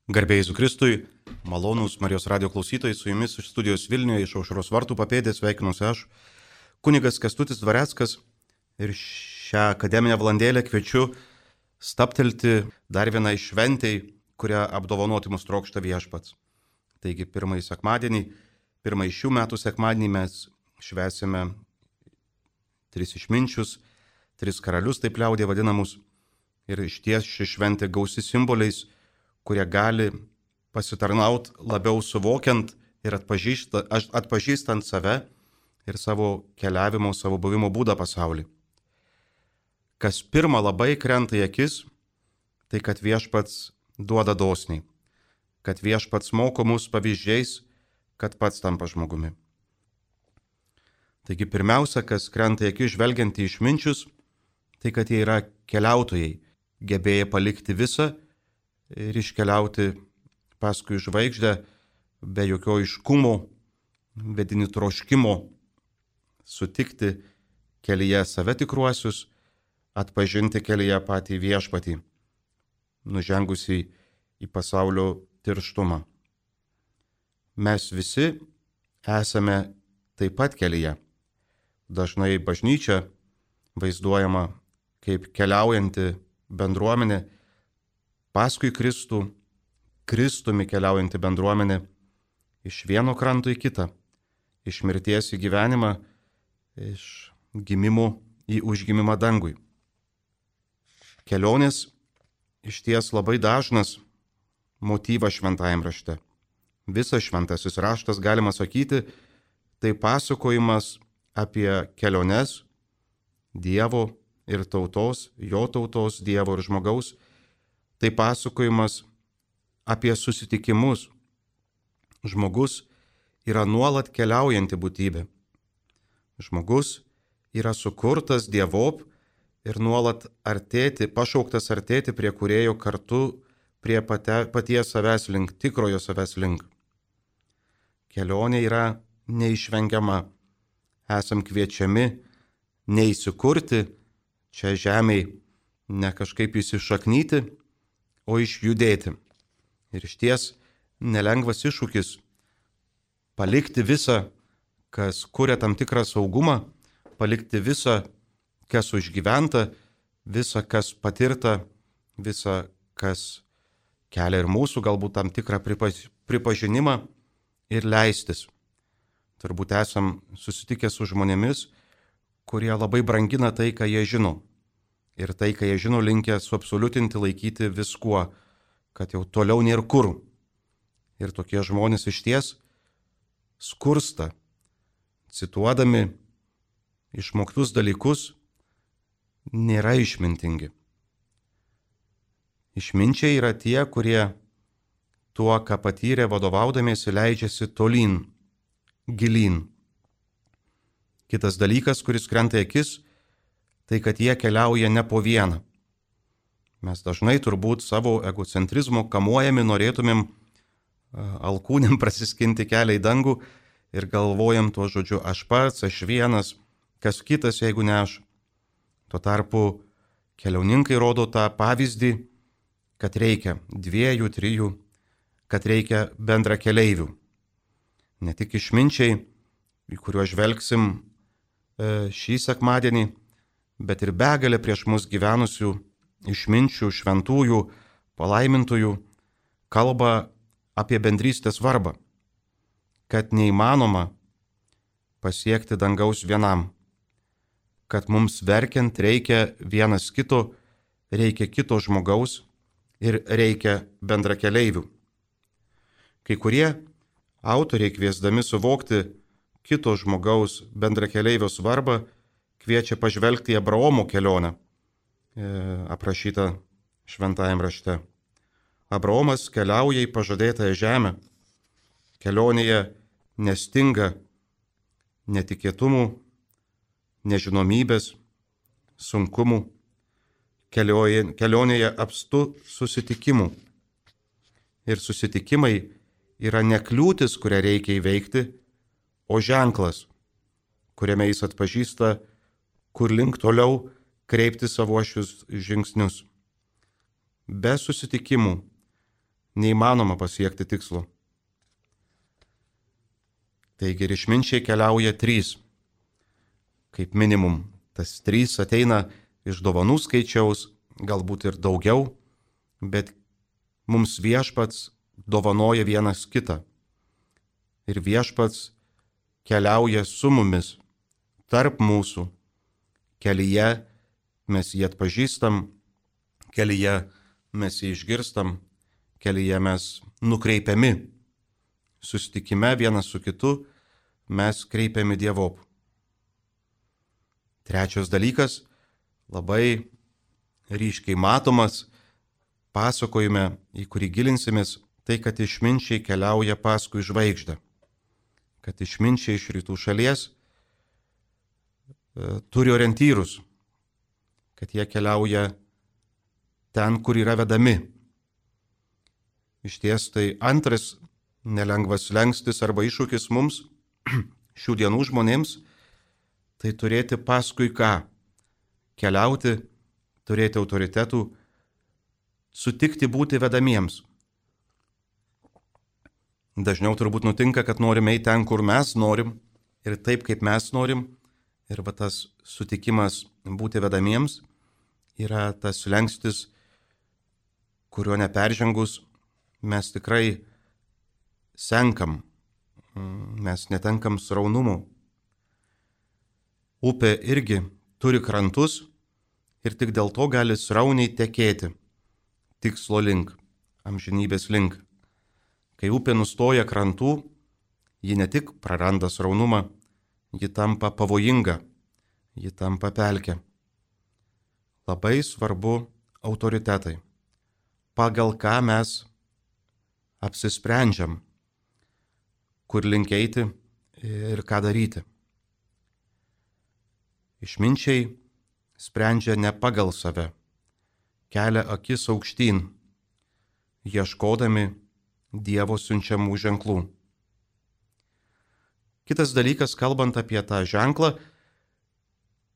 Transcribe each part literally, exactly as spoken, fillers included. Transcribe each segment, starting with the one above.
Garbėjai Jėzui Kristui, malonūs Marijos radijo klausytojai, su jumis iš studijos Vilniuje, iš Aušros vartų papėdės sveikinuosi aš, kunigas Kęstutis Dvareckas, ir šią akademinę valandėlę kviečiu stabtelti dar vienai šventei, kurią apdovanoti mus trokšta Viešpats. Taigi pirmąjį sekmadienį, pirmąjį šių metų sekmadienį mes švęsime tris išminčius, tris karalius, taip liaudė vadinamus, ir išties ši šventė gausi simboliais, kurie gali pasitarnauti labiau suvokiant ir atpažįstant save ir savo keliavimo, savo buvimo būdą pasaulį. Kas pirma labai krenta į akis, tai kad Viešpats duoda dosniai, kad Viešpats moko mus pavyzdžiais, kad pats tampa žmogumi. Taigi pirmiausia, kas krenta į akis žvelgiant į išminčius, tai kad jie yra keliautojai, gebėję palikti visą ir iškeliauti paskui žvaigždę be jokio aiškumo, vedini troškimo, sutikti kelyje save tikruosius, atpažinti kelyje patį Viešpatį, nužengusi į pasaulio tirštumą. Mes visi esame taip pat kelyje. Dažnai bažnyčia vaizduojama kaip keliaujanti bendruomenė, paskui Kristų, Kristumi keliaujanti bendruomenė iš vieno kranto į kitą, iš mirties į gyvenimą, iš gimimo į užgimimą dangui. Kelionės išties labai dažnas motyvas šventajam rašte. Visas šventasis raštas, galima sakyti, tai pasakojimas apie keliones Dievo ir tautos, jo tautos, Dievo ir žmogaus. Tai pasakojimas apie susitikimus. Žmogus yra nuolat keliaujanti būtybė. Žmogus yra sukurtas Dievop ir nuolat artėti, pašauktas artėti prie Kūrėjo kartu, prie pate, paties savęs link, tikrojo savęs link. Kelionė yra neišvengiama. Esam kviečiami neįsikurti čia žemėj, ne kažkaip įsišaknyti, o išjudėti. Ir išties nelengvas iššūkis palikti visą, kas kuria tam tikrą saugumą, palikti visą, kas užgyventa, visą, kas patirta, visą, kas kelia ir mūsų galbūt tam tikrą pripažinimą ir leistis. Turbūt esam susitikę su žmonėmis, kurie labai brangina tai, ką jie žino. Ir tai, ką jie žino, linkę suabsoliutinti, laikyti viskuo, kad jau toliau nėra kur. Ir tokie žmonės išties skursta, cituodami išmoktus dalykus, nėra išmintingi. Išminčiai yra tie, kurie tuo, ką patyrė vadovaudamiesi, leidžiasi tolyn, gilyn. Kitas dalykas, kuris krenta į akis, tai kad jie keliauja ne po vieną. Mes dažnai turbūt savo egocentrizmo kamuojami norėtumėm alkūnėm prasiskinti kelią į dangų ir galvojam tuo žodžiu aš pats, aš vienas, kas kitas, jeigu ne aš. Tuo tarpu keliauninkai rodo tą pavyzdį, kad reikia dviejų, trijų, kad reikia bendra keleivių. Ne tik išminčiai, į kuriuos žvelgsim šį sekmadienį, bet ir begalė prieš mus gyvenusių išminčių, šventųjų, palaimintųjų kalba apie bendrystės svarbą, kad neįmanoma pasiekti dangaus vienam, kad mums verkiant reikia vienas kito, reikia kito žmogaus ir reikia bendrakeleivių. Kai kurie autoriai kviesdami suvokti kito žmogaus bendrakeleivio svarbą, kviečia pažvelgti į Abraomo kelionę, e, aprašytą šventajam rašte. Abraomas keliauja į pažadėtąją žemę. Kelionėje nestinga netikėtumų, nežinomybės, sunkumų. Kelionėje, kelionėje apstu susitikimų. Ir susitikimai yra ne kliūtis, kurią reikia įveikti, o ženklas, kuriame jis atpažįsta, kur link toliau kreipti savuošius žingsnius. Be susitikimų neįmanoma pasiekti tikslo. Taigi ir išminčiai keliauja trys. Kaip minimum, tas trys ateina iš dovanų skaičiaus, galbūt ir daugiau, bet mums viešpats dovanoja vienas kitą. Ir viešpats keliauja su mumis, tarp mūsų. Kelyje mes jį atpažįstam, kelyje mes jį išgirstam, kelyje mes nukreipiami. Susitikime vienas su kitu mes kreipiami Dievop. Trečias dalykas, labai ryškiai matomas pasakojime, į kurį gilinsimės, tai kad išminčiai keliauja paskui žvaigždę. Kad išminčiai iš rytų šalies e, turi orientyrus, kad jie keliauja ten, kur yra vedami. Iš ties tai antras nelengvas slengstis arba iššūkis mums, šių dienų žmonėms, tai turėti paskui ką? Keliauti, turėti autoritetų, sutikti būti vedamiems. Dažniau turbūt nutinka, kad norime eiti ten, kur mes norim ir taip, kaip mes norim. Ir va tas sutikimas būti vedamiems yra tas slengstis, kurio neperžengus mes tikrai senkam, mes netenkam sraunumo. Upė irgi turi krantus ir tik dėl to gali srauniai tekėti tikslo link, amžinybės link. Kai upė nustoja krantų, ji ne tik praranda sraunumą, ji tampa pavojinga, ji tampa pelkė. Labai svarbu autoritetai, pagal ką mes apsisprendžiam, kur link eiti ir ką daryti. Išminčiai sprendžia ne pagal save, kelia akis aukštyn, ieškodami Dievo siunčiamų ženklų. Kitas dalykas, kalbant apie tą ženklą,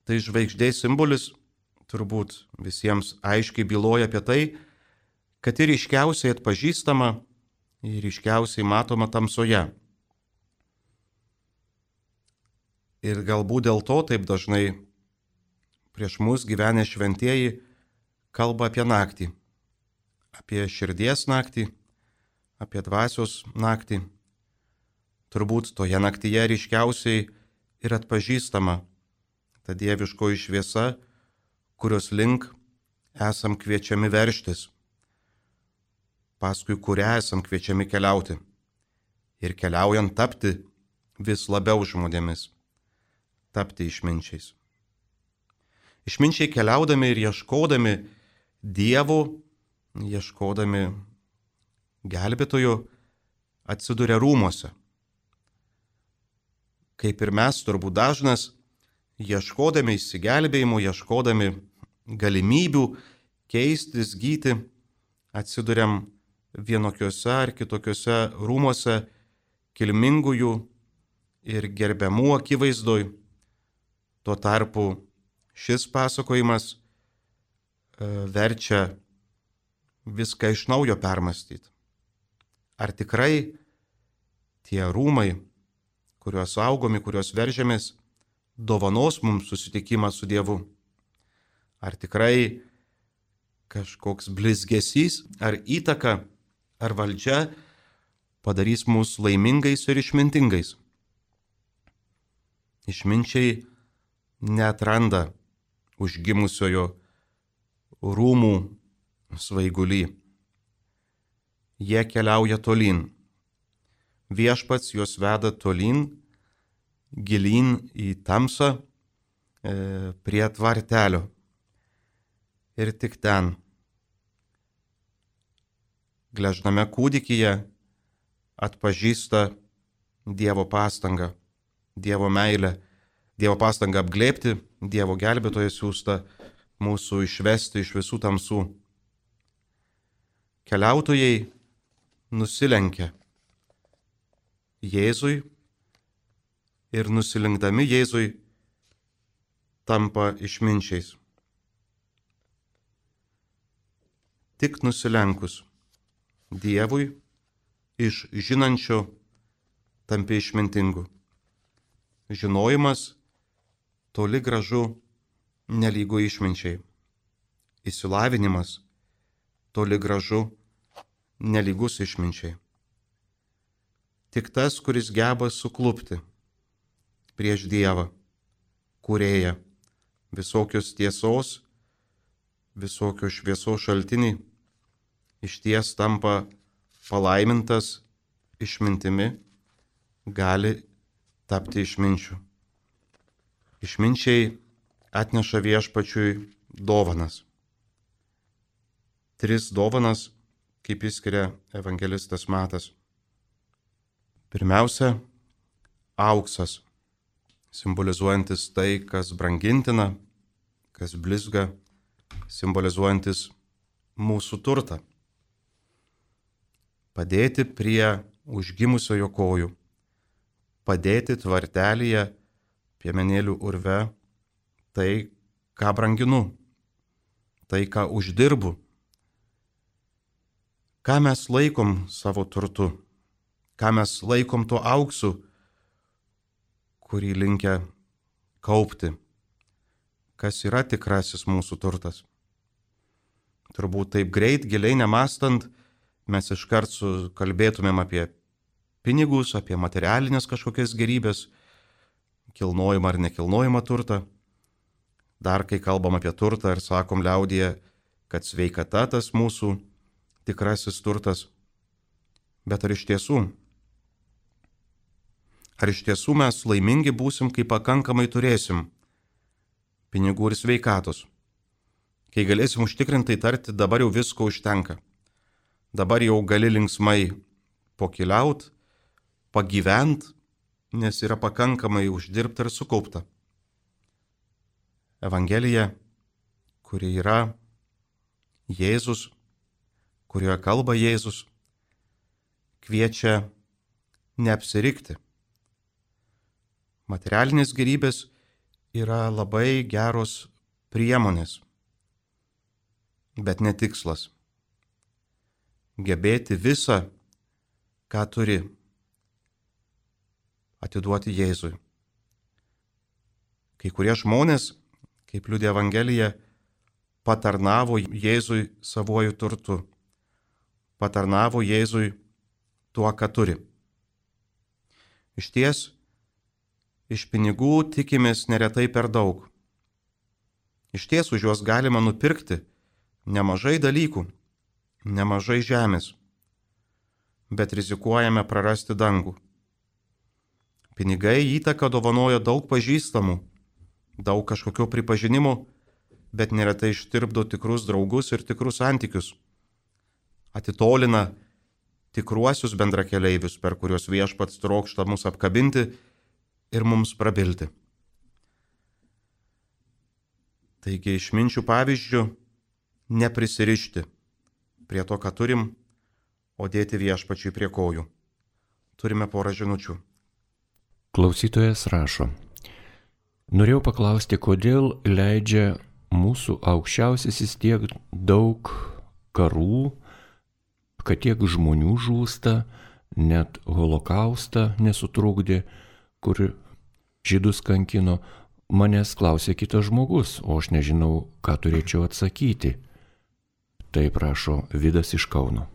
tai žvaigždės simbolis turbūt visiems aiškiai byloja apie tai, kad ir ryškiausiai atpažįstama ir ryškiausiai matoma tamsoje. Ir galbūt dėl to taip dažnai prieš mus gyvenę šventieji kalba apie naktį, apie širdies naktį, apie dvasios naktį. Turbūt toje naktyje ryškiausiai ir atpažįstama ta dieviškoji šviesa, kurios link esam kviečiami verštis, paskui kurią esam kviečiami keliauti ir keliaujant tapti vis labiau žmonėmis, tapti išminčiais. Išminčiai keliaudami ir ieškodami Dievo, ieškodami gelbėtojų, atsiduria rūmuose. Kaip ir mes, turbūt dažnas, ieškodami išsigelbėjimo, ieškodami galimybių keistis, gyti, atsiduriam vienokiuose ar kitokiuose rūmuose, kilmingųjų ir gerbiamų akivaizdoj. Tuo tarpu šis pasakojimas verčia viską iš naujo permastyti. Ar tikrai tie rūmai, kuriuos saugomi, kuriuos veržiamės, dovanos mums susitikimą su Dievu? Ar tikrai kažkoks blizgesys, ar įtaka, ar valdžia padarys mus laimingais ir išmintingais? Išminčiai neatranda užgimusiojo rūmų svaigulį. Jie keliauja tolyn. Viešpats juos veda tolyn, gilyn į tamsą, e, prie tvartelio. Ir tik ten, gležname kūdikyje, atpažįsta Dievo pastangą, Dievo meilę, Dievo pastangą apglėbti, Dievo gelbėtoją siųstą mūsų išvesti iš visų tamsų. Keliautojai nusilenkia Jėzui ir nusilenkdami Jėzui tampa išminčiais. Tik nusilenkus Dievui, iš žinančio tampi išmintingu. Žinojimas toli gražu nelygu išminčiai. Išsilavinimas toli gražu nelygus išminčiai. Tik tas, kuris geba suklupti prieš Dievą, kūrėją, visokios tiesos, visokios šviesos šaltiniai, išties tampa palaimintas išmintimi, gali tapti išminčiu. Išminčiai atneša viešpačiui dovanas. Tris dovanas, kaip išskiria evangelistas Matas. Pirmiausia, auksas, simbolizuojantis tai, kas brangintina, kas blizga, simbolizuojantis mūsų turtą. Padėti prie užgimusiojo kojų, padėti tvartelyje, piemenėlių urve, tai, ką branginu, tai, ką uždirbu, ką mes laikom savo turtu, ką mes laikom tuo auksu, kurį linkę kaupti, kas yra tikrasis mūsų turtas. Turbūt taip greit, giliai nemastant, mes iškart kalbėtumėm apie pinigus, apie materialinės kažkokias gerybės, kilnojimą ar nekilnojimą turtą. Dar kai kalbam apie turtą ir sakom liaudyje, kad sveikata tas mūsų tikrasis turtas. Bet ar iš tiesų? Ar iš tiesų mes laimingi būsim, kai pakankamai turėsim pinigų ir sveikatos? Kai galėsim užtikrintai tarti, dabar jau visko užtenka. Dabar jau gali linksmai pokeliaut, pagyvent, nes yra pakankamai uždirbta ir sukaupta. Evangelija, kuri yra Jėzus, kurioje kalba Jėzus, kviečia neapsirikti. Materialinės gerybės yra labai geros priemonės, bet ne tikslas. Gebėti visą, ką turi, atiduoti Jėzui. Kai kurie žmonės, kaip liudija Evangelija, patarnavo Jėzui savuoju turtu, patarnavo Jėzui tuo, ką turi. Išties, iš pinigų tikimės neretai per daug. Išties už juos galima nupirkti nemažai dalykų, nemažai žemės, bet rizikuojame prarasti dangų. Pinigai įtaką dovanoja daug pažįstamų, daug kažkokio pripažinimo, bet neretai ištirpdo tikrus draugus ir tikrus santykius. Atitolina tikruosius bendrakeleivius, per kuriuos viešpats trokšta mus apkabinti ir mums prabilti. Taigi išminčių pavyzdžių neprisirišti prie to, ką turim, o dėti viešpačiui prie kojų. Turime porą žinučių. Klausytojas rašo: norėjau paklausti, kodėl leidžia mūsų aukščiausiasis tiek daug karų, kad tiek žmonių žūsta, net holokaustą nesutrukdė, kur žydus kankino. Manęs klausė kitas žmogus, o aš nežinau, ką turėčiau atsakyti. Taip rašo Vidas iš Kauno.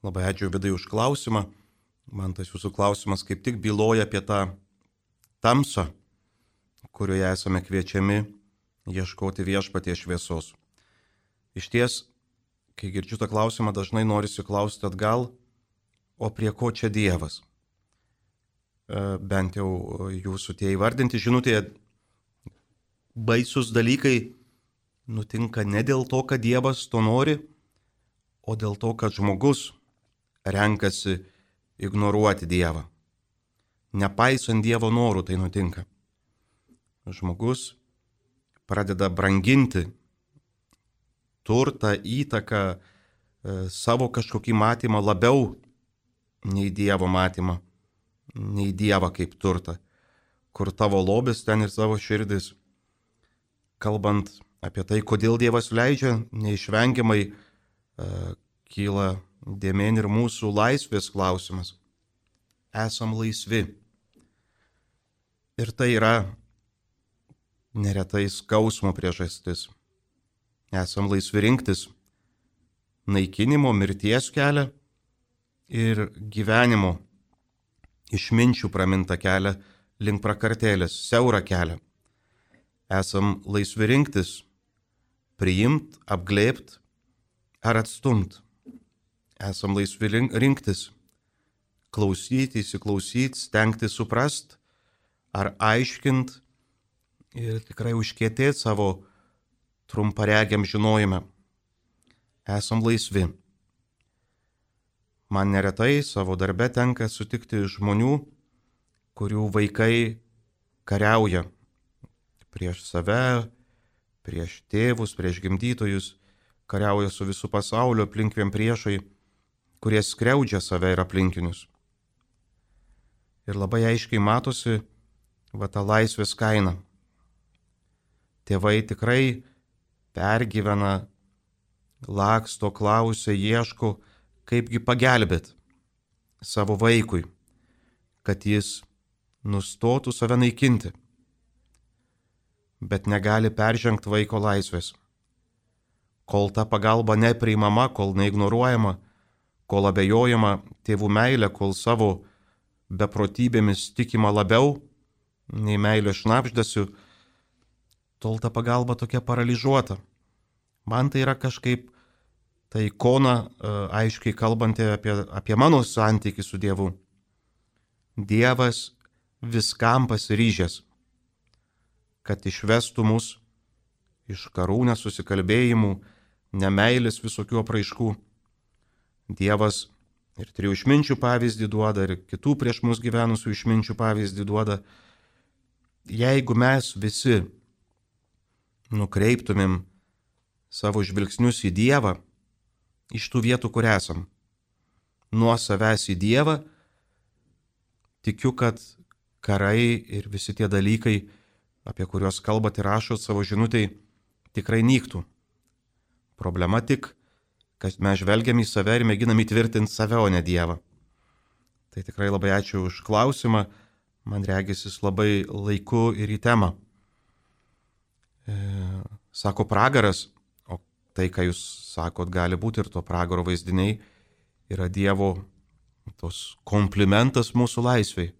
Labai ačiū Vidai už klausimą. Man tas jūsų klausimas kaip tik byloja apie tą tamsą, kurioje esame kviečiami ieškoti viešpaties šviesos. Išties, kai girdžiu tą klausimą, dažnai norisi klausti atgal, o prie ko čia Dievas? Bent jau jūsų tie įvardinti žinutėje baisus dalykai nutinka ne dėl to, kad Dievas to nori, o dėl to, kad žmogus renkasi ignoruoti Dievą. Nepaisant Dievo norų tai nutinka. Žmogus pradeda branginti turtą, įtaką, savo kažkokį matymą labiau nei Dievo matymą, nei Dievą kaip turtą, kur tavo lobis, ten ir savo širdis. Kalbant apie tai, kodėl Dievas leidžia, neišvengiamai uh, kyla dėmėn ir mūsų laisvės klausimas. Esam laisvi. Ir tai yra neretai skausmo priežastis. Esam laisvi rinktis naikinimo, mirties kelią ir gyvenimo išminčių pramintą kelią link prakartėlės, siaurą kelią. Esam laisvi rinktis, priimt, apglėbt ar atstumt. Esam laisvi rinktis, klausyti, įsiklausyti, stengti suprast ar aiškint ir tikrai užkietėti savo trumparegiam žinojime. Esam laisvi. Man neretai savo darbe tenka sutikti žmonių, kurių vaikai kariauja prieš save, prieš tėvus, prieš gimdytojus, kariauja su visų pasaulio aplinkviem priešai, kurie skriaudžia save ir aplinkinius. Ir labai aiškiai matosi va ta laisvės kaina. Tėvai tikrai pergyvena, laksto, klausia, ieško, kaipgi pagelbėt savo vaikui, kad jis nustotų save naikinti, bet negali peržengti vaiko laisvės. Kol ta pagalba nepriimama, kol neignoruojama, kol abejojama tėvų meilė, kol savo beprotybėmis tikima labiau nei meilė šnapždasiu, tol ta pagalba tokia paralyžiuota. Man tai yra kažkaip ta ikona, aiškiai kalbanti apie, apie mano santykį su Dievu. Dievas viskam pasiryžęs, kad išvestų mus iš karų nesusikalbėjimų, nemeilės visokių apraiškų. Dievas ir trijų išminčių pavyzdį duoda, ir kitų prieš mus gyvenusių išminčių pavyzdį duoda. Jeigu mes visi nukreiptumėm savo žvilgsnius į Dievą, iš tų vietų, kur esam, nuo savęs į Dievą, tikiu, kad karai ir visi tie dalykai, apie kuriuos kalbat ir rašot savo žinutėj, tikrai nyktų. Problema tik, kad mes žvelgiam į save ir mėginam įtvirtinti save, o ne Dievą. Tai tikrai labai ačiū už klausimą, man regis jis labai laiku ir į temą. E, sako pragaras, o tai, ką jūs sakot, gali būti ir to pragaro vaizdiniai, yra Dievo tos komplimentas mūsų laisvei,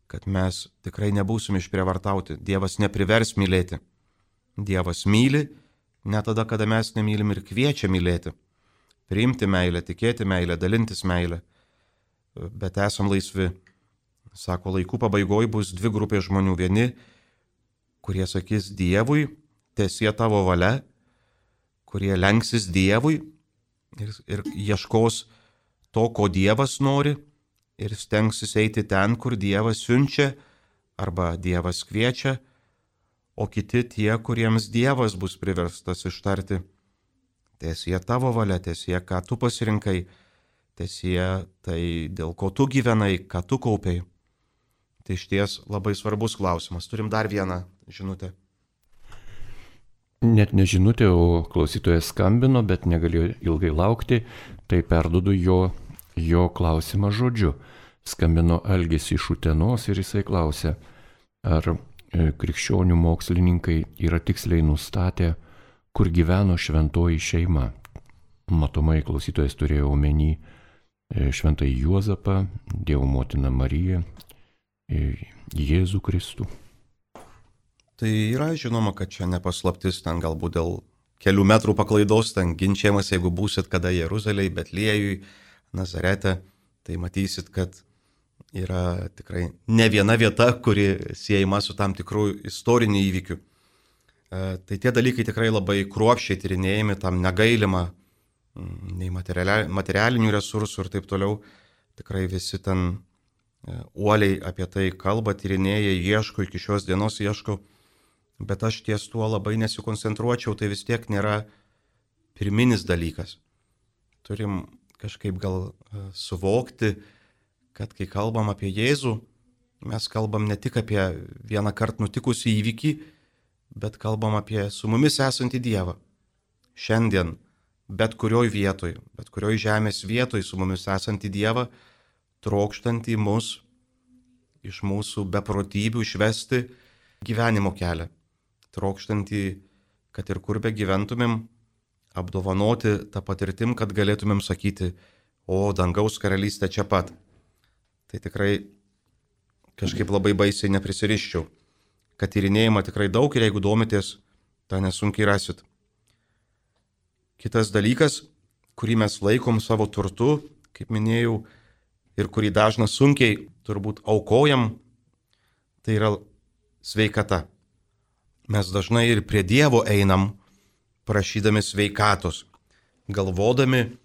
kad mes tikrai nebūsim išprievartauti. Dievas neprivers mylėti. Dievas myli, ne tada, kada mes nemylim, ir kviečia mylėti. Priimti meilę, tikėti meilę, dalintis meilę. Bet esam laisvi. Sako, laikų pabaigoj bus dvi grupės žmonių. Vieni, kurie sakys Dievui, teesie tavo valia, kurie lenksis Dievui ir, ir ieškos to, ko Dievas nori, ir stengsis eiti ten, kur Dievas siunčia arba Dievas kviečia, o kiti tie, kuriems Dievas bus priverstas ištarti: teesie tavo valia, teesie, ką tu pasirinkai, teesie tai, dėl ko tu gyvenai, ką tu kaupiai. Tai išties labai svarbus klausimas. Turim dar vieną žinutę. Net ne žinutė, o klausytojas skambino, bet negalėjo ilgai laukti, tai perduodu jo, jo klausimą žodžiu. Skambino Algis iš Utenos ir jisai klausė, ar krikščionių mokslininkai yra tiksliai nustatę, kur gyveno šventoji šeima. Matomai klausytojas turėjo omeny šventąjį Juozapą, Dievo motiną Mariją, Jėzų Kristų. Tai yra žinoma, kad čia nepaslaptis, ten galbūt dėl kelių metrų paklaidos, ten ginčiamas, jeigu būsit kada Jeruzalėje, Betliejui, Nazarete, tai matysit, kad yra tikrai ne viena vieta, kuri siejama su tam tikrų istorinių įvykių. E, tai tie dalykai tikrai labai kruopščiai tyrinėjami, tam negailima nei materialinių resursų ir taip toliau. Tikrai visi ten e, uoliai apie tai kalba, tyrinėja, ieško, iki šios dienos ieško. Bet aš ties tuo labai nesikoncentruočiau, tai vis tiek nėra pirminis dalykas. Turim kažkaip gal suvokti, kad kai kalbam apie Jėzų, mes kalbam ne tik apie vieną kartą nutikusį įvykį, bet kalbam apie su mumis esantį Dievą. Šiandien, bet kurioj vietoj, bet kurioj žemės vietoj su mumis esantį Dievą, trokštantį mus iš mūsų beprotybių išvesti gyvenimo kelią, trokštantį, kad ir kur be gyventumėm, apdovanoti tą patirtim, kad galėtumėm sakyti, o dangaus karalystė čia pat. Tai tikrai kažkaip labai baisiai neprisiriščiau, kad tyrinėjama tikrai daug ir jeigu domitės, tą nesunkiai rasit. Kitas dalykas, kurį mes laikom savo turtu, kaip minėjau, ir kurį dažna sunkiai turbūt aukojam, tai yra sveikata. Mes dažnai ir prie Dievo einam, prašydami sveikatos, galvodami,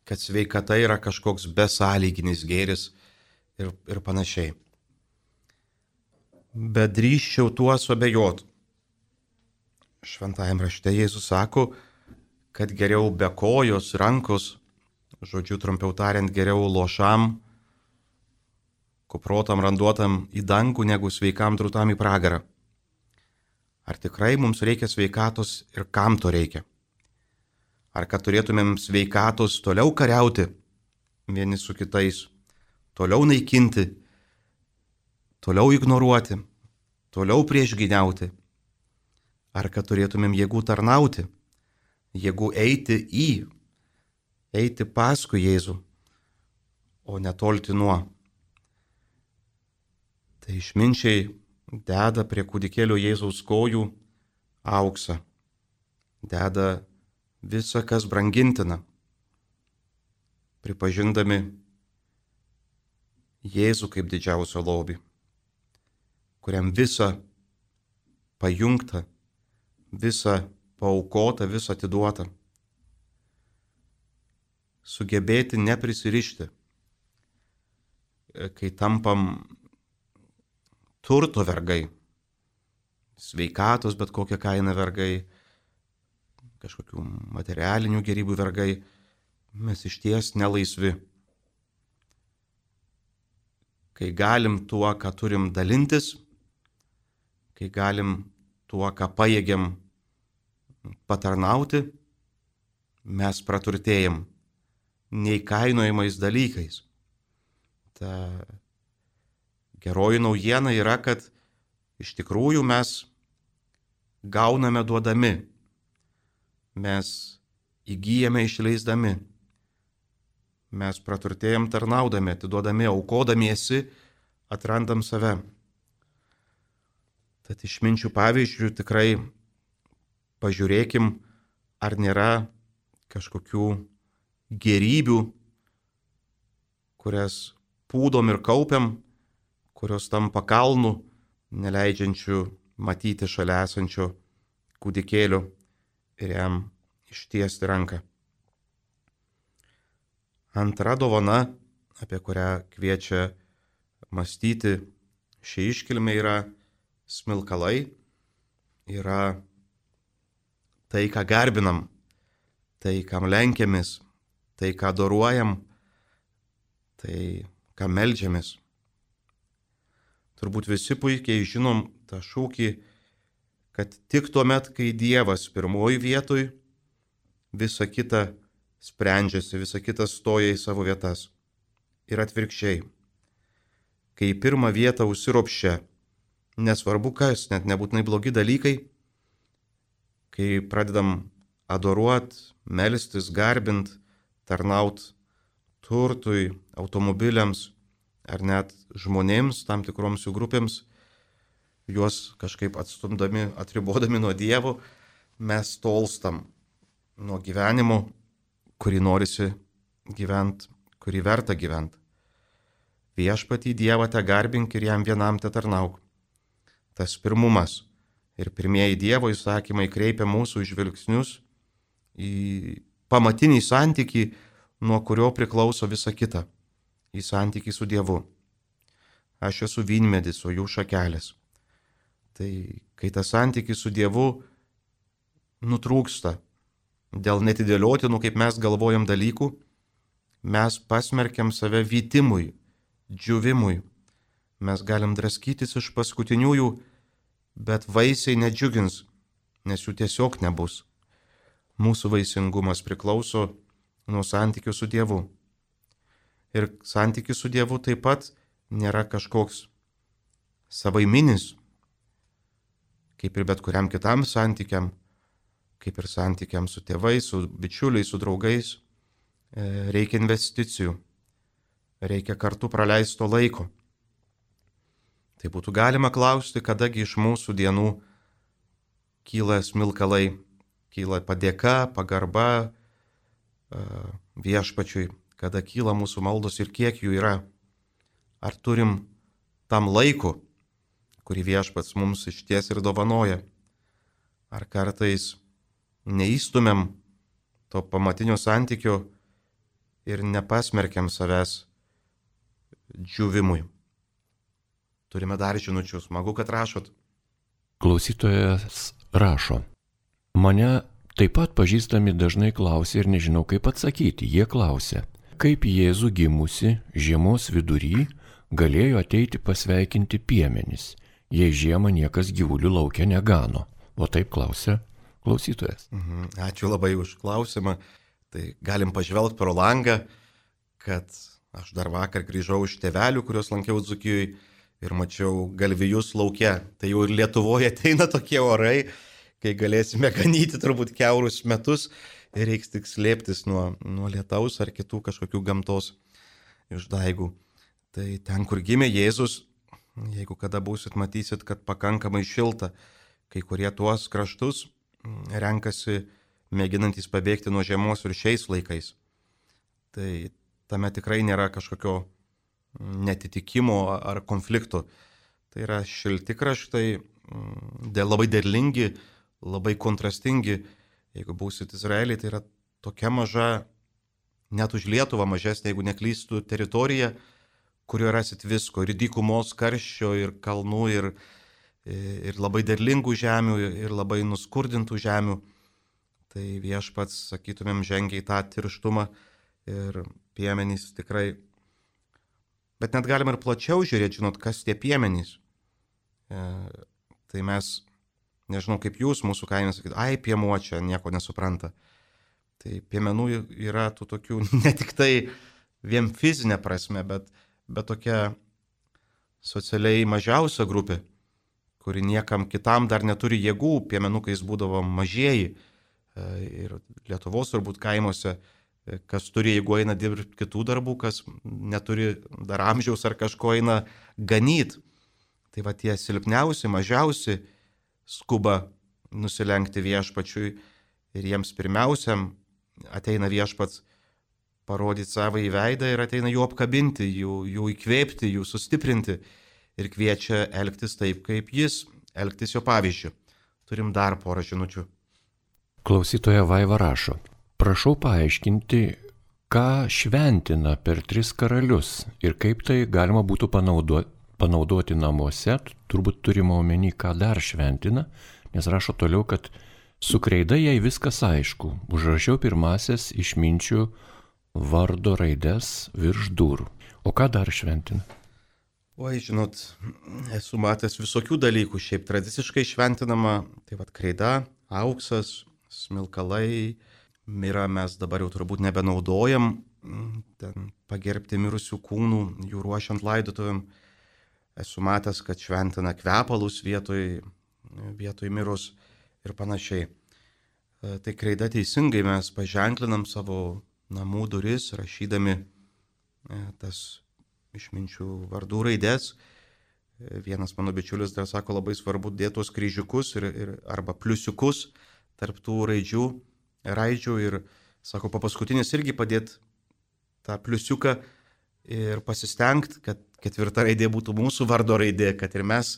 kad sveikata yra kažkoks besąlyginis gėris ir, ir panašiai. Bet drįsčiau tuo suabejot. Šventajame rašte Jėzus sako, kad geriau be kojos, rankos, žodžiu trumpiau tariant, geriau lošam, kuprotam, randuotam į dangų, negu sveikam drūtam į pragarą. Ar tikrai mums reikia sveikatos ir kam to reikia? Ar kad turėtumėm sveikatos toliau kariauti vieni su kitais, toliau naikinti, toliau ignoruoti, toliau priešgyniauti? Ar kad turėtumėm jėgų tarnauti, jėgų eiti į, eiti paskui Jėzų, o netolti nuo? Tai išminčiai deda prie kūdikėlio Jėzaus kojų auksą, deda visa, kas brangintina, pripažindami Jėzų kaip didžiausią lobį, kuriam visa pajungta, visa paaukota, visa atiduota. Sugebėti neprisirišti, kai tampam turto vergai, sveikatos bet kokią kainą vergai, kažkokių materialinių gėrybių vergai, mes išties nelaisvi. Kai galim tuo, ką turim dalintis, kai galim tuo, ką pajėgiam patarnauti, mes praturtėjam neįkainojamais dalykais. Ta geroji naujiena yra, kad iš tikrųjų mes gauname duodami, mes įgyjame išleisdami, mes praturtėjam tarnaudami, atiduodami, aukodamiesi, atrandam save. Tad išminčių pavyzdžių tikrai pažiūrėkim, ar nėra kažkokių gėrybių, kurias pūdom ir kaupiam, kurios tampa kalnų, neleidžiančių matyti šalia esančio kūdikėlio ir jam ištiesti ranką. Antra dovana, apie kurią kviečia mąstyti ši iškilmė, yra smilkalai, yra tai, ką garbinam, tai, kam lenkiamės, tai, ką adoruojam, tai, ką meldžiamės. Turbūt visi puikiai žinom tą šūkį, kad tik tuomet, kai Dievas pirmoji vietoj, visa kita sprendžiasi, visa kita stoja į savo vietas. Ir atvirkščiai. Kai į pirmą vietą užsiropščia, nesvarbu kas, net nebūtinai blogi dalykai, kai pradedam adoruot, melstis, garbint, tarnaut turtui, automobiliams ar net žmonėms, tam tikroms jų grupėms, juos kažkaip atstumdami, atribodami nuo Dievo, mes tolstam nuo gyvenimo, kurį norisi gyventi, kurį verta gyventi. Viešpatį Dievą te garbink ir jam vienam te tarnauk. Tas pirmumas ir pirmieji Dievo įsakymai kreipia mūsų žvilgsnius į pamatinį santykį, nuo kurio priklauso visa kita, į santykį su Dievu. Aš esu vynmedis, o jų šakelės. Tai kai tas santykis su Dievu nutrūksta dėl netidėliotinų, kaip mes galvojam, dalykų, mes pasmerkiam save vytimui, džiūvimui. Mes galim draskytis iš paskutiniųjų, bet vaisiai nedžiugins, nes jų tiesiog nebus. mūsų vaisingumas priklauso nuo santykių su Dievu. Ir santykis su Dievu taip pat nėra kažkoks savaiminis, kaip ir bet kuriam kitam santykiam, kaip ir santykiam su tėvais, su bičiuliais, su draugais. Reikia investicijų, reikia kartu praleisto laiko. Tai būtų galima klausti, kadagi iš mūsų dienų kyla smilkalai, kyla padėka, pagarba viešpačiui, kada kyla mūsų maldos ir kiek jų yra. Ar turim tam laiku, kurį viešpats mums išties ir dovanoja? Ar kartais neįstumėm to pamatinio santykio ir nepasmerkiam savęs džiūvimui? Turime dar žinučių, smagu, kad rašot. Klausytojas rašo. Mane taip pat pažįstami dažnai klausia ir nežinau kaip atsakyti. Jie klausia, kaip Jėzų gimusi žiemos vidury galėjo ateiti pasveikinti piemenis, jei žiemą niekas gyvulių laukia negano. O taip klausia klausytojas. Mhm, ačiū labai už klausimą. Tai galim pažvelgti pro langą, kad aš dar vakar grįžau iš tėvelių, kuriuos lankiau Dzūkijoje ir mačiau galvijus lauke. Tai jau ir Lietuvoje ateina tokie orai, kai galėsime ganyti turbūt kiaurus metus ir reiks tik slėptis nuo, nuo lietaus ar kitų kažkokių gamtos išdaigų. Tai ten, kur gimė Jėzus, jeigu kada būsit, matysit, kad pakankamai šilta. Kai kurie tuos kraštus renkasi mėginantys pabėgti nuo žiemos ir šiais laikais. Tai tame tikrai nėra kažkokio netitikimo ar konflikto. Tai yra šilti kraštai, labai derlingi, labai kontrastingi. Jeigu būsit Izraelį, tai yra tokia maža, net už Lietuvą mažesnė, jeigu neklystų, teritorija, kurioje rasit visko. Ir dykumos karščio, ir kalnų, ir, ir labai derlingų žemių, ir labai nuskurdintų žemių. Tai viešpats, sakytumėm, žengia į tą tirštumą ir piemenys tikrai. Bet net galim ir plačiau žiūrėti, žinot, kas tie piemenys. E, tai mes, nežinau kaip jūs, mūsų kaime sakyt, ai, piemuo čia nieko nesupranta. Tai piemenų yra tų tokių ne tik tai vien fizinė prasme, bet, bet tokia socialiai mažiausia grupė, kuri niekam kitam dar neturi jėgų. Piemenukais būdavo mažieji. Ir Lietuvos turbūt kaimuose, kas turi, jeigu eina dirbti kitų darbų, kas neturi dar amžiaus ar kažko eina ganyti. Tai va tie silpniausi, mažiausi skuba nusilenkti viešpačiui ir jiems pirmiausiam ateina viešpats parodyti savo į veidą ir ateina jų apkabinti, jų, jų įkvėpti, jų sustiprinti ir kviečia elgtis taip, kaip jis, elgtis jo pavyzdžiu. Turim dar porą žinučių. Klausytoja Vaiva rašo, prašau paaiškinti, ką šventina per tris karalius ir kaip tai galima būtų panaudoti, panaudoti namuose, turbūt turime omeny, ką dar šventina, nes rašo toliau, kad su kreida jai viskas aišku, užrašiau pirmasias išminčių vardo raides virš durų. O ką dar šventina? Oi, žinot, esu matęs visokių dalykų, šiaip tradiciškai šventinama, tai vad kreida, auksas, smilkalai, mirą mes dabar jau turbūt nebenaudojam, ten pagerbti mirusių kūnų, jų ruošiant laidotuvėm. Esu matęs, kad šventina kvepalus vietoj, vietoj mirus ir panašiai. Tai kreida teisingai mes paženklinam savo namų duris, rašydami tas išminčių vardų raidės. Vienas mano bičiulis dar sako, labai svarbu dėti tuos kryžiukus ir, ir, arba pliusiukus tarp tų raidžių, raidžių ir, sako, po paskutinis irgi padėti tą pliusiuką ir pasistengti, kad ketvirta raidė būtų mūsų vardo raidė, kad ir mes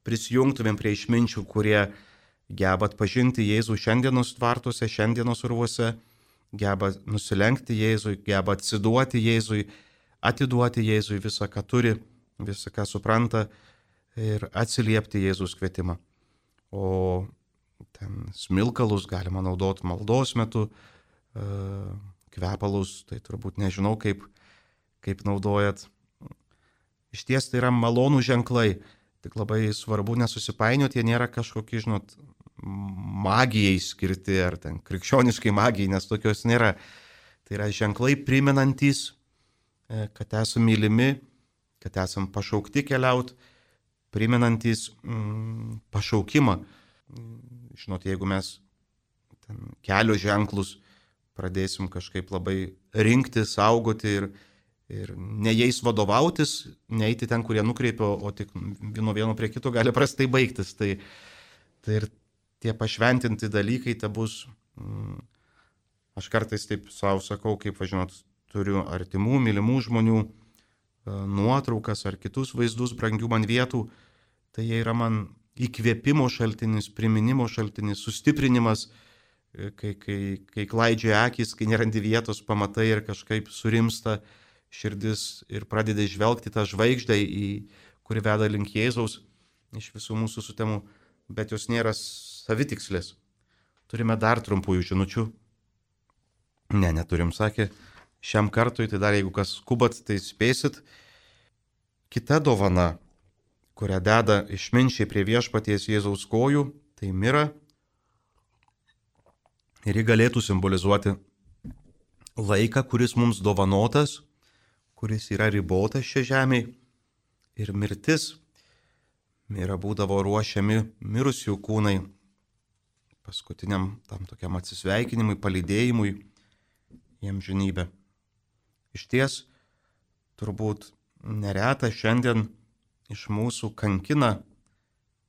prisijungtumėm prie išminčių, kurie geba atpažinti Jėzų šiandienos tvartuose, šiandienos urvuose, geba nusilenkti Jėzui, geba atsiduoti Jėzui, atiduoti Jėzui visą, ką turi, visą, ką supranta ir atsiliepti Jėzus kvietimą. O ten smilkalus galima naudoti maldos metu, kvepalus, tai turbūt nežinau, kaip, kaip naudojat. Iš ties tai yra malonų ženklai, tik labai svarbu nesusipainioti, jie nėra kažkokie, žinot, magijai skirti, ar ten krikščioniškai magijai, nes tokios nėra. Tai yra ženklai primenantys, kad esame mylimi, kad esame pašaukti keliauti, primenantys mm, pašaukimą. Žinot, jeigu mes ten kelio ženklus pradėsim kažkaip labai rinkti, saugoti ir, ir ne jais vadovautis, neiti ten, kurie nukreipia, o tik nuo vieno prie kito gali prastai baigtis. Tai, tai ir tie pašventinti dalykai, tai bus, mm, aš kartais taip savo sakau, kaip, važinot, turiu artimų, mylimų žmonių nuotraukas ar kitus vaizdus brangių man vietų, tai jie yra man įkvėpimo šaltinis, priminimo šaltinis, sustiprinimas, kai, kai, kai klaidžioja akis, kai nerandi vietos, pamatai ir kažkaip surimsta širdis ir pradedi žvelgti tą žvaigždę, į kuri veda link Jėzaus iš visų mūsų sutemų, bet jos nėra savitikslės. Turime dar trumpųjų žinučių. Ne, neturim, sakė. Šiam kartui, tai dar jeigu kas skubat, tai spėsit. Kita dovana, kurią deda išminčiai prie viešpaties Jėzaus kojų, tai mira. Ir ji galėtų simbolizuoti laiką, kuris mums dovanotas, kuris yra ribotas šia žemėje. Ir mirtis. Mira būdavo ruošiami mirusių kūnai paskutiniam tam tokiam atsisveikinimui, palydėjimui į amžinybę. Iš ties, turbūt nereta šiandien iš mūsų kankina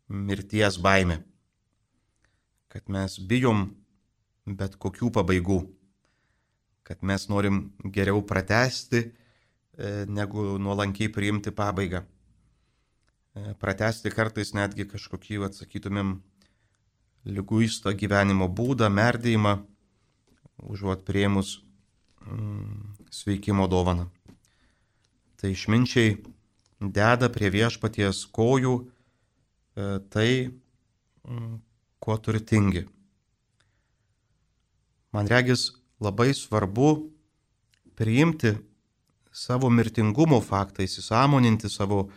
mirties baimė, kad mes bijom bet kokių pabaigų, kad mes norim geriau pratęsti, negu nuolankiai priimti pabaigą. Pratęsti kartais netgi kažkokį, atsakytumėm, liguistą gyvenimo būdą, merdėjimą, užuot priėmus sveikimo dovaną. Tai išminčiai deda prie viešpaties kojų tai, kuo turtingi. Man regis labai svarbu priimti savo mirtingumo faktą, įsisąmoninti savo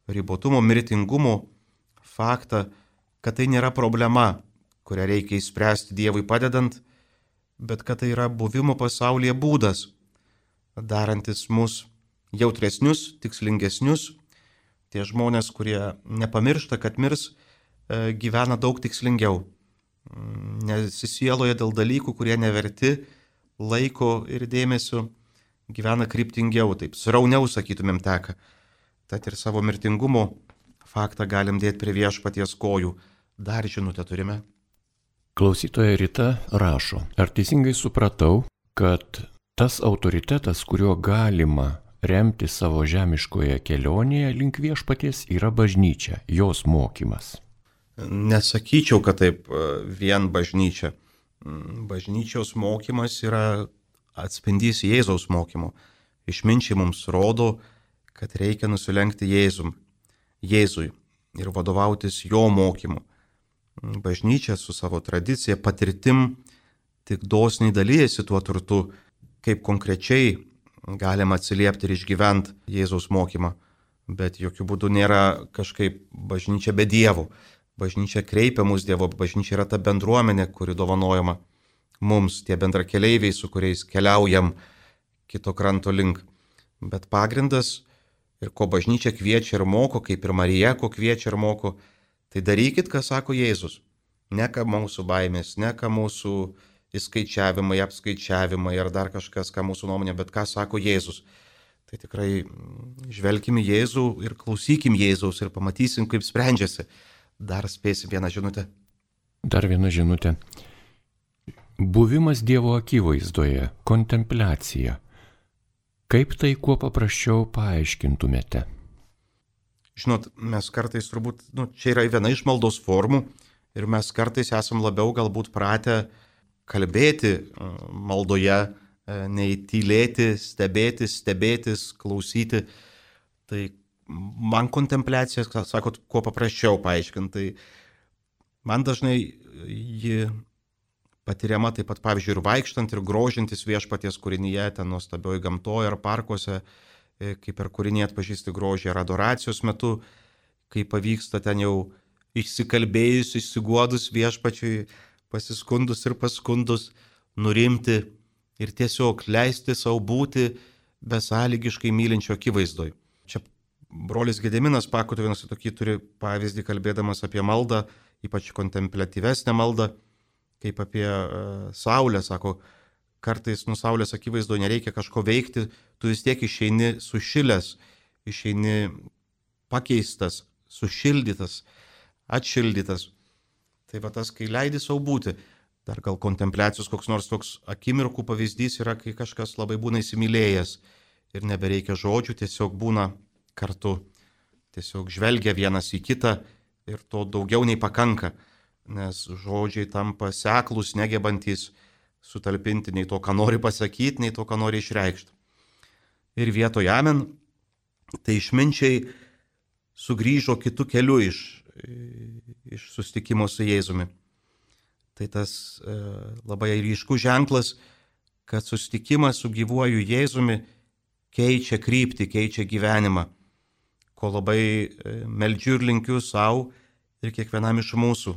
ribotumo, mirtingumo faktą, kad tai nėra problema, kurią reikia išspręsti Dievui padedant, bet kad tai yra buvimo pasaulyje būdas, darantis mus jautresnius, tikslingesnius. Tie žmonės, kurie nepamiršta, kad mirs, gyvena daug tikslingiau. Nesisieloja dėl dalykų, kurie neverti laiko ir dėmesio, gyvena kryptingiau, taip srauniau, sakytumėm, teka. Tad ir savo mirtingumo faktą galim dėti prie viešpaties kojų. Dar žinutę turime. Klausytoja Rita rašo, ar teisingai supratau, kad tas autoritetas, kuriuo galima remti savo žemiškoje kelionėje link viešpaties, yra bažnyčia, jos mokymas? Nesakyčiau, kad taip vien bažnyčia. Bažnyčios mokymas yra atspindys Jėzaus mokymo. Išminčiai mums rodo, kad reikia nusilenkti Jėzum, Jėzui ir vadovautis jo mokymu. Bažnyčia su savo tradicija, patirtim tik dosniai dalyjasi tuo turtu, kaip konkrečiai galima atsiliepti ir išgyventi Jėzaus mokymą. Bet jokių būdų nėra kažkaip bažnyčia be Dievo. Bažnyčia kreipia mus Dievo, bažnyčia yra ta bendruomenė, kuri dovanojama mums, tie bendrakeleiviai, su kuriais keliaujam kito kranto link. Bet pagrindas ir ko bažnyčia kviečia ir moko, kaip ir Marija, ko kviečia ir moko, tai darykit, ką sako Jėzus. Ne ką mūsų baimės, ne ką mūsų įskaičiavimai, apskaičiavimai ar dar kažkas, ką mūsų nuomonė, bet ką sako Jėzus. Tai tikrai žvelkim į Jėzų ir klausykim Jėzaus ir pamatysim, kaip sprendžiasi. Dar spėsim vieną žinutę. Dar viena žinutė. Buvimas Dievo akivaizdoje, kontempliacija. Kaip tai kuo paprasčiau paaiškintumėte? Žinot, mes kartais turbūt, nu, čia yra viena iš maldos formų ir mes kartais esam labiau galbūt pratę kalbėti maldoje, nei tylėti, stebėti, stebėtis, klausyti. Tai man kontempliacija, sakot, kuo paprasčiau paaiškinti. Tai man dažnai ji patiriama taip pat, pavyzdžiui, ir vaikštant, ir grožintis viešpaties kūrinyje, ten nuostabioje gamtoje ar parkuose, kaip per kūrinį atpažįsti grožį, ar adoracijos metu, kai pavyksta ten jau išsikalbėjus, išsiguodus viešpačiui, pasiskundus ir paskundus, nurimti ir tiesiog leisti savo būti besąlygiškai mylinčio akivaizdoj. Čia brolis Gediminas Pakutovinas tokį turi pavyzdį, kalbėdamas apie maldą, ypač kontempliatyvesnę maldą, kaip apie uh, saulę, sako, kartais nu saulės akivaizdoje nereikia kažko veikti, tu vis tiek išeini sušilęs, išeini pakeistas, sušildytas, atšildytas. Tai va tas, kai leidi savo būti. Dar gal kontempliacijos koks nors toks akimirkų pavyzdys yra, kai kažkas labai būna įsimylėjęs ir nebereikia žodžių, tiesiog būna kartu, tiesiog žvelgia vienas į kitą ir to daugiau nei pakanka, nes žodžiai tampa seklus, negebantys sutalpinti nei to, ką nori pasakyti, nei to, ką nori išreikšti. Ir vietoje amen, tai išminčiai sugrįžo kitų kelių iš, iš susitikimo su Jėzumi. Tai tas e, labai ryškus ženklas, kad susitikimas su gyvuoju Jėzumi keičia kryptį, keičia gyvenimą, ko labai e, meldžiu ir linkiu savo ir kiekvienam iš mūsų,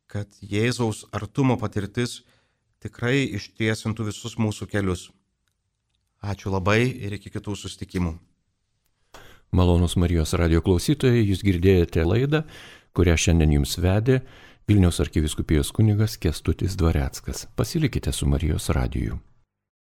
kad Jėzaus artumo patirtis tikrai ištiesintų visus mūsų kelius. Ačiū labai ir iki kitų susitikimų. Malonūs Marijos radijo klausytojai, jūs girdėjote laidą, kurią šiandien jums vedė Vilniaus arkivyskupijos kunigas Kęstutis Dvareckas. Pasilikite su Marijos radiju.